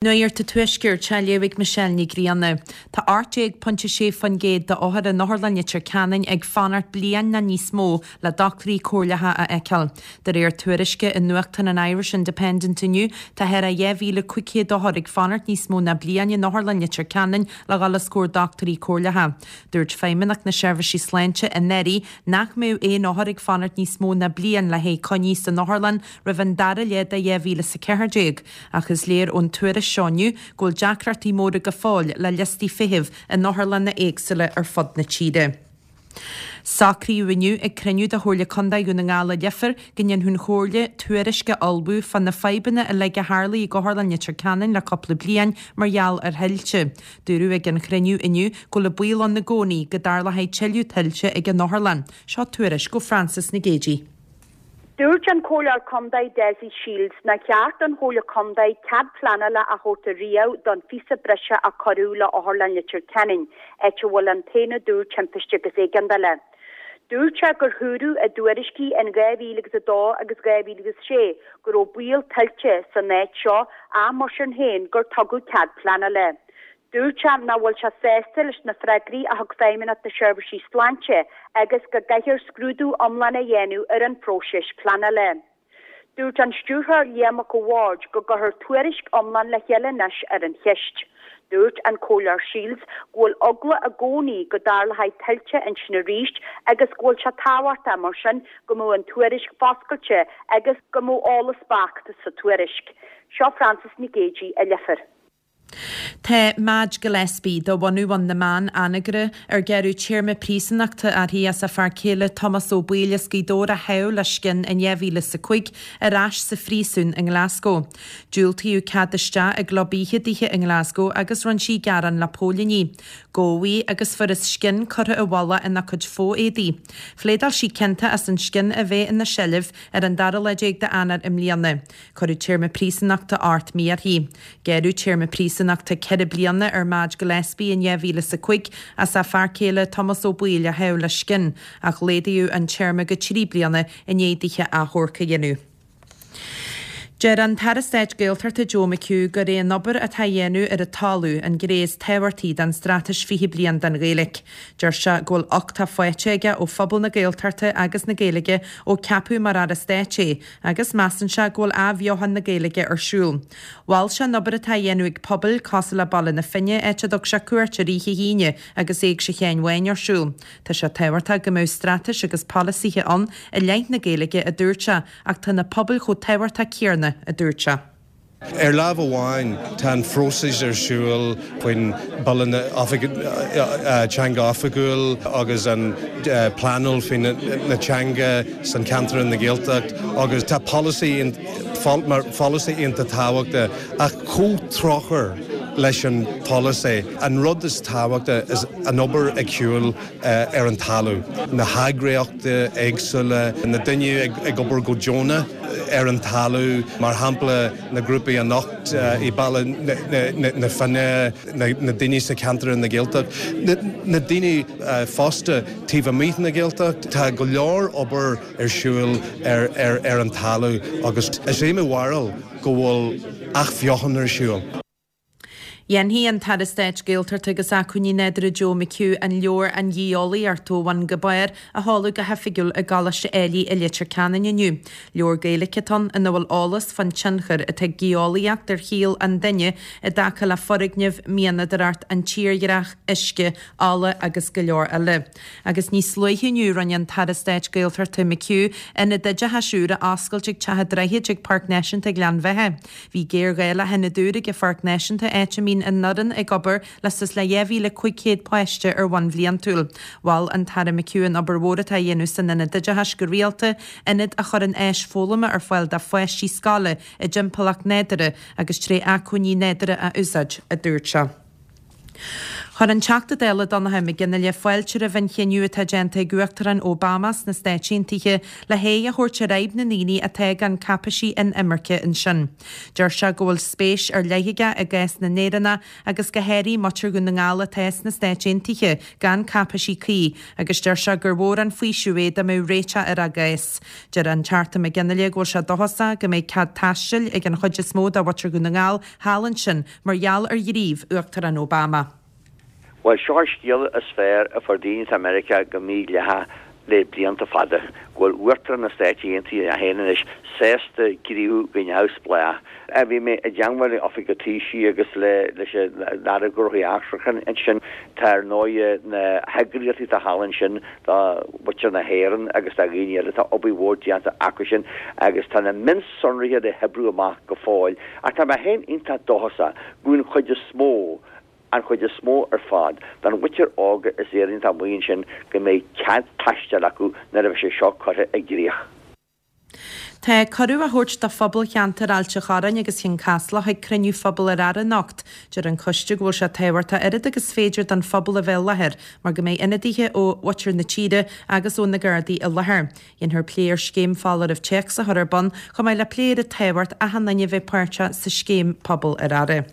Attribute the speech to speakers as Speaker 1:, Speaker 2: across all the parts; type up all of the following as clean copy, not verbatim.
Speaker 1: Nuacht an Tuaiscirt á léamh ag Michelle Ní Ghrianna. Tá 18.6% d'othair in Otharlann Leitir Ceanainn ag fanacht bliain nó níos mó le dochtúirí comhairleacha a fheiceáil. De réir tuairisce i nuachtán an Irish Independent inniu, tá thar a 2,500 othar ag fanacht níos mó ná bliain in Otharlann Leitir Ceanainn le dhul os comhair dochtúirí comhairleacha. Dúirt Feidhmeannacht na Seirbhísí Sláinte anuraidh nach mbeadh aon othar ag fanacht níos mó ná bliain le haghaidh coinní san otharlann roimh an dara leath de 2014, ach is léir ón tuairisc seo inniu go bhfuil deacrachtaí móra go fóill le liostaí feithimh in otharlanna éagsúla ar fud na tíre. Socraíodh inniu ag cruinniú de Chomhairle Contae Dhún na nGall i Leifear go ndéanfadh an Chomhairle tuairisc a ullmhú fá na fadhbanna uilig a tharlaigh ag Otharlann Leitir Ceanainn le cúpla bliain mar gheall ar thuilte. Dúradh ag an chruinniú inniu go bhfuil an baol ann i gcónaí go dtarlóidh tuilleadh tuilte ag an otharlann. Seo tuairisc ó Frances Nic Géadaigh.
Speaker 2: Dúirt an Comhairleoir Contae Dessie Shields nár cheart don Chomhairle Contae cead pleanála a thabhairt ariamh don phíosa breise a cuireadh le Otharlann Leitir Ceanainn, áit a bhfuil an t-aonad úr timpiste agus éigeandála. Dúirt sé gur húradh i dtuairiscí in 2002 agus 2006 go raibh baol tuilte san áit seo ach mar sin féin gur tugadh cead pleanála. Dúirt sé nach bhfuil sé sásta leis na freagraí a thug Feidhmeannacht na Seirbhísí Sláinte agus go gcaithfear scrúdú iomlán a dhéanamh ar an phróiseas pleanála. Dúirt an Stiúrthóir Liam Mac a' Bhaird go gcuirfear tuairisc iomlán le chéile anois ar an cheist. Dúirt an Comhairleoir Shields go bhfuil eagla i gcónaí go dtarlóidh tuilte ansin arís agus go bhfuil sé tábhachtach mar sin go mbeadh an tuairisc foscailte agus go mbeadh eolas beacht sa tuairisc. Seo Frances Nic Géadaigh i Leifear.
Speaker 1: Tá Madge Gillespie, de bhunadh Bhun na mBan, Anagaire, ar gearradh téarma príosúnachta uirthi as a fear céile Tomás Ó Baoill as Gaoth Dobhair a shábh le scian in 2005, ar ais sa phríosún i nGlasgow. Diúltaíodh cead isteach i gclub oíche dithe i nGlasgow agus rinne sí gearán le póilíní. Gabhadh í agus fuarthas scian curtha i bhfolach ina cuid fo-éadaí. Phléadáil sí ciontach as an scian a bheith ina seilbh ar an dara lá déag d'Eanáir i mbliana. Cuireadh téarma príosúnachta 8 mí uirthi. Gearradh téarma príosúnachta 4 bliana ar Madge Gillespie in 2005 as a fear céile Tomás Ó Baoill a shábh le scian, ach laghdaíodh an téarma go 3 bliana i ndiaidh dithe achomharc a dhéanamh. Deir an tAire Stáit Gaeltachta Joe McHugh gur é an obair atá á dhéanamh ar an talamh an ghné is tábhachtaí den Straitéis 20 Bliain don Ghaeilge. Deir sé go bhfuil uchtach faighte aige ó phobal na Gaeltachta agus na Gaeilge ó ceapadh mar Aire Stáit é agus measann sé go bhfuil athbheochan na Gaeilge ar siúl. Mhol sé an obair atá á dhéanamh ag pobail cosúil le Baile na Finne, áit a dtug sé cuairt ar oíche hAoine agus Éigse Sheáin Bháin ar siúl. Tá sé tábhachtach go mbeadh straitéis agus polasaithe ann i leith na Gaeilge, a dúirt sé, ach tá na pobail chomh tábhachtach céanna, a dúirt sé.
Speaker 3: Ar lámh amháin, tá an phróiseas ar siúl faoin Bille na Teanga Oifigiúil agus an pleanáil faoin na teanga san ceantar na Gaeltacht agus tá polasaí mar pholasaí iontach tábhachtach ach chomh tráthúil leis an pholasaí, an rud is tábhachtaí is an obair ag siúl ar an talamh, na heagraíochtaí éagsúla, na daoine ag obair go deonach ar an talamh, mar shampla na grúpaí anocht i Baile na Finne, na daoine sa cheantar na Gaeltacht, na daoine fosta taobh amuigh na Gaeltacht. Tá go leor obair ar siúl ar an talamh agus is é mo bharúil go bhfuil athbheochan ar siúl.
Speaker 1: Dhéanfaidh an tAire Stáit Gaeltachta agus Acmhainní Nádúrtha Joe McHugh an leabhar An Gheolaíocht ó Bhun go Barr a sheoladh go hoifigiúil i gColáiste Ailigh i Leitir Ceanainn inniu. Leabhar Gaeilge atá ann ina bhfuil eolas fán tionchar atá ag geolaíocht ar shaol an duine i dtaca le foirgnimh, mianadóireacht, an tírdhreach, uisce, ola agus go leor eile. Agus níos luaithe inniu rinne an tAire Stáit Gaeltachta McHugh ionad oideachais úr a oscailt ag Teach an Droichid ag Páirc Náisiúnta Ghleann Bheatha. Bhí géarghá le hionad úr ag an Pháirc Náisiúnta áit a mbíonn an fhoireann ag obair le suas le 2,500 páiste ar bhonn bhliantúil. Mhol an tAire McHugh an obair mhór atá á dhéanamh san Ionad Oideachais go rialta, ionad a chuireann áis foghlama ar fáil do pháistí scoile i dtimpeallacht nádúrtha agus tré acmhainní nádúrtha a úsáid, a dúirt sé. Chuir an Teachta Dála Donnchadh Mac Fhionnghaile fáilte roimh an chinneadh atá déanta ag Uachtarán Obama sna Stáit Aontaithe le haghaidh a thabhairt ar fhadhb na ndaoine atá gan cáipeisí inimirce ansin. Deir sé go bhfuil spéis ar leith aige i gcás na nÉireannach agus go háirithe muintir Dhún na nGall atá sna Stáit Aontaithe gan cáipeisí cuí agus deir sé gur mhór an faoiseamh é dá mbeadh réiteach ar a gcás. Deir an Teachta Mac Fhionnghaile go bhfuil sé dóchasach go mbeidh cead taistil ag an chuid is mó de mhuintir Dhún na nGall thall ansin mar gheall ar ghníomh Uachtarán Obama.
Speaker 4: Bhuel, seo an scéala is fearr a fuair daoine atá i Meiriceá go mídhleathach le blianta fada, go bhfuil Uachtarán na Stáit Aontaithe é féin anois sásta gníomhú go neamhspleách. Bhí mé i dteangmháil le Oifig an Taoisigh agus leis an Aire Gnóthaí Eachtracha ansin. Tá ar ndóighe na heagraíochtaí atá thall ansin do mhuintir na hÉireann agus do dhaoine eile, tá obair mhór déanta acu sin agus tá na mionsonraithe le hoibriú amach go fóill. Ach tá mé féin iontach dóchasach go bhfuil an chuid is mó, an chuid is mó ar fad, den mhuintir óga is Éireannaigh atá amuigh ansin go mbeidh cead taistil acu nuair a bheidh sé seo curtha i gcrích.
Speaker 1: Tá cuireadh á thabhairt do phobal cheantar Ailt an Chorráin agus Chionn Caslach ag cruinniú Phobail ar Aire anocht. Deir an coiste go bhfuil sé tábhachtach oiread agus féidir don phobal a bheith i láthair mar go mbeidh ionadaithe ó mhuintir na tíre agus ó na Gardaí i láthair. Dhéanfar plé ar scéim foláireamh téacs a chur ar bun, chomh maith le plé ar an tábhacht achan duine a bheith páirteach sa scéim Pobal ar Aire.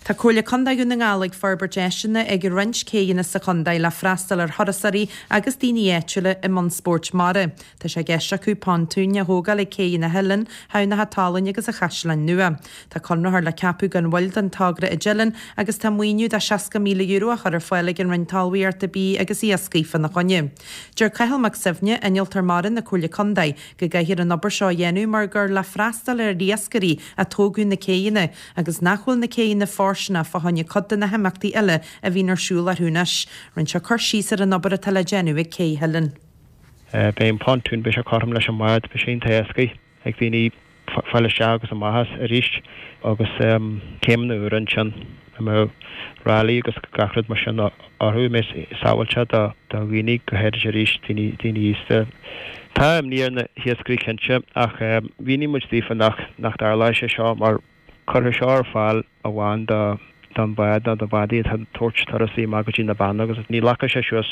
Speaker 1: Tá Comhairle Contae Dhún na nGall ag forbairt áiseanna ag roinnt céidheanna sa chontae le freastal ar thurasóirí agus daoine áitiúla i mbun spóirt mara. Tá sé i gceist acu pontúin a thógáil ag céidheanna Theileann, Thamhnach a' tSalainn agus a' Chaisleáin Nua. Tá conraitheoir le ceapadh gan mhoill don togra i dTeileann agus tá maoiniú de €60,000 á chur ar fáil ag an Roinn Talmhaíochta, Bídh agus Iascaigh fána choinne. Deir Cathal Mac Suibhne, Innealtóir Mara na Comhairle Contae, go gcaithfear an obair seo a dhéanamh mar gur le freastal ar iascairí a tógadh na céidheanna agus nach bhfuil na céidheanna fóirsteanach fá choinne cuid de na himeachtaí eile a bhíonn ar siúl orthu anois. Rinne sé cur síos ar an obair atá le déanamh ag Cé Theileann.
Speaker 5: Beidh an pontún, beidh sé cothrom leis an mbád, beidh sé iontach éascaí ag daoine fáil isteach agus amach as arís agus céimeanna úra ansin a mbeadh ráillí agus gach rud mar sin orthu, a mbeidh sábháilte do dhaoine, go háirid arís daoine aosta. Tá imní ar na hiascairí cinnte ach mhínigh muid daofa nach nach dtarlóidh sé seo mar cuirfear seo ar fáil amháin do don bhád nó do bhádaí atá ag tabhairt turasaí amach go dtí na Beanna agus ní ghlacfaidh sé suas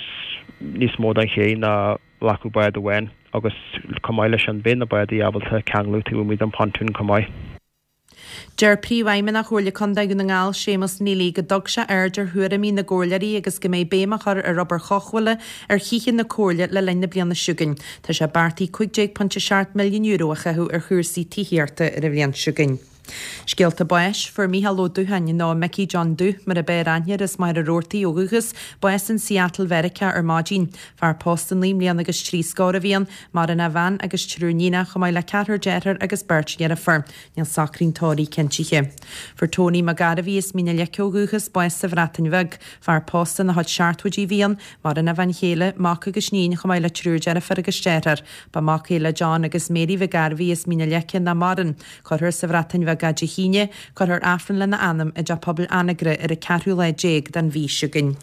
Speaker 5: níos mó don ché ná ghlacfadh bád amháin agus chomh maith leis sin beidh na bádaí ábalta ceanglú taobh amuigh den phontún chomh maith.
Speaker 1: Deir Príomhfheidhmeannach Chomhairle Contae Dhún na nGall, Séamus Neely, go dtug sé aird ar thuairimí na gcomhairleoirí agus go mbeidh béim á chur ar obair chothabhála ar thithe na Comhairle le linn na bliana seo chugainn. Tá sé beartaithe €15.7 milliún a chaitheamh ar chúrsaí tithíochta ar an bhliain seo chugainn. Scéalta báis, Fuair Mícheál Ó Dútháin, nó Micí John Dúth mar a b'fhearr aithne air, as Machaire Rabhartaigh ó dhúchas, bás in Seattle Mheiriceá ar maidin. Fear pósta naoi mbliana agus trí scór a bhí ann, maireann a bhean agus triúr níonach, chomh maith le ceathrar dearthár agus beirt dheirfiúr. Níl socraí an tórraimh cinntithe. Fuair Tony Mac Gairbhí as Mín an Leice ó dhúchas, bás sa Bhreatain Bheag. Fear pósta ina chuid seachtóidí a bhí ann, maireann a bhean chéile, mac agus níon, chomh maith le triúr deirfiúr agus deartháir. Ba mhac é le John agus Mary Mhic Gairbhí as Mín an Leice nach maireann. Cuirfear sa Bhreatain Bheag é Dé hAoine. Cuirfear Aifreann lena anam i dTeach Pobail Anagaire ar an ceathrú lá déag den mhí seo chugainn.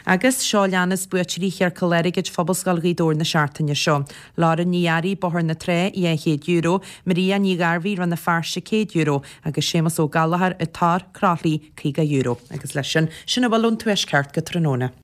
Speaker 1: Agus seo a leanas buaiteoirí Chiorcal Airgid Phobalscoil Ghaoth Dobhair na seachtaine seo. Lauren Ní Fhearraigh, Bóthar na Trá, €200, Maria Ní Ghairbhí, Rann na Feirste, €100, agus Séamus Ó Gallchóir, An Tor, Croithlí, €50. Agus leis sin, sin a bhfuil ón Tuaisceart go tráthnóna.